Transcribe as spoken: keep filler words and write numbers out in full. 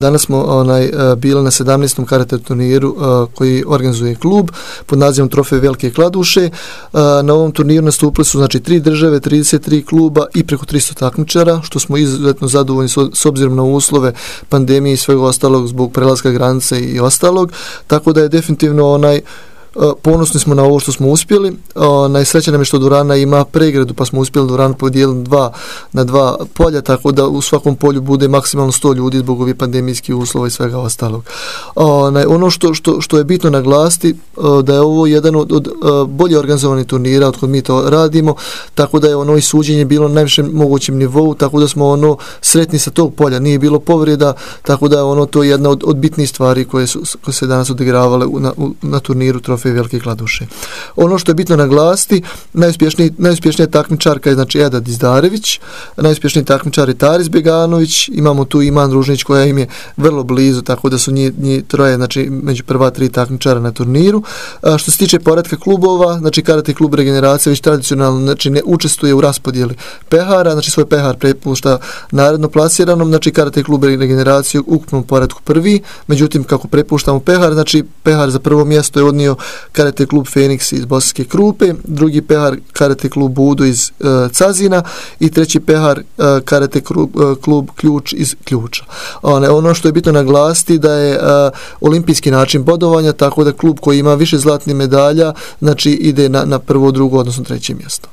Danas smo onaj, bili na sedamnaestom karate turniru koji organizuje klub pod nazivom Trofej Velike Kladuše. Na ovom turniru nastupili su znači tri države, trideset tri kluba i preko tristo takmičara, što smo izuzetno zadovoljni s obzirom na uslove pandemije i svega ostalog zbog prelaska granice i ostalog. Tako da je definitivno onaj ponosni smo na ovo što smo uspjeli. Najsreća nam je što dvorana ima pregradu, pa smo uspjeli dvoranu podijeliti dva, na dva polja, tako da u svakom polju bude maksimalno sto ljudi zbog ovih pandemijskih uslova i svega ostalog. Ono što, što, što je bitno naglasiti, da je ovo jedan od, od bolje organizovanih turnira od kod mi to radimo, tako da je ono i suđenje bilo na najvišem mogućem nivou, tako da smo ono sretni sa tog polja, nije bilo povreda, tako da je ono to jedna od, od bitnih stvari koje su koje se danas odigravale na, na turniru Trofej Velike Kladuše. Ono što je bitno naglasiti, najuspješniji, najuspješnija takmičarka je znači Eda Dizdarević, najuspješniji takmičar je Taris Beganović, imamo tu Iman Ružnić koja im je vrlo blizu, tako da su njih, njih troje znači, među prva tri takmičara na turniru. A, što se tiče poretka klubova, znači Karate klub Regeneracija već tradicionalno znači, ne učestvuje u raspodjeli pehara, znači svoj pehar prepušta naredno plasiranom, znači Karate klub Regeneracija u ukupnom poretku prvi, međutim kako prepuštamo pehar, znači pehar za prvo mjesto je odnio Karate klub Feniks iz Bosanske Krupe, drugi pehar Karate klub Budo iz uh, Cazina i treći pehar uh, Karate klub, uh, klub Ključ iz Ključa. One, ono što je bitno naglasiti da je uh, olimpijski način bodovanja, tako da klub koji ima više zlatnih medalja znači ide na, na prvo, drugo, odnosno treće mjesto.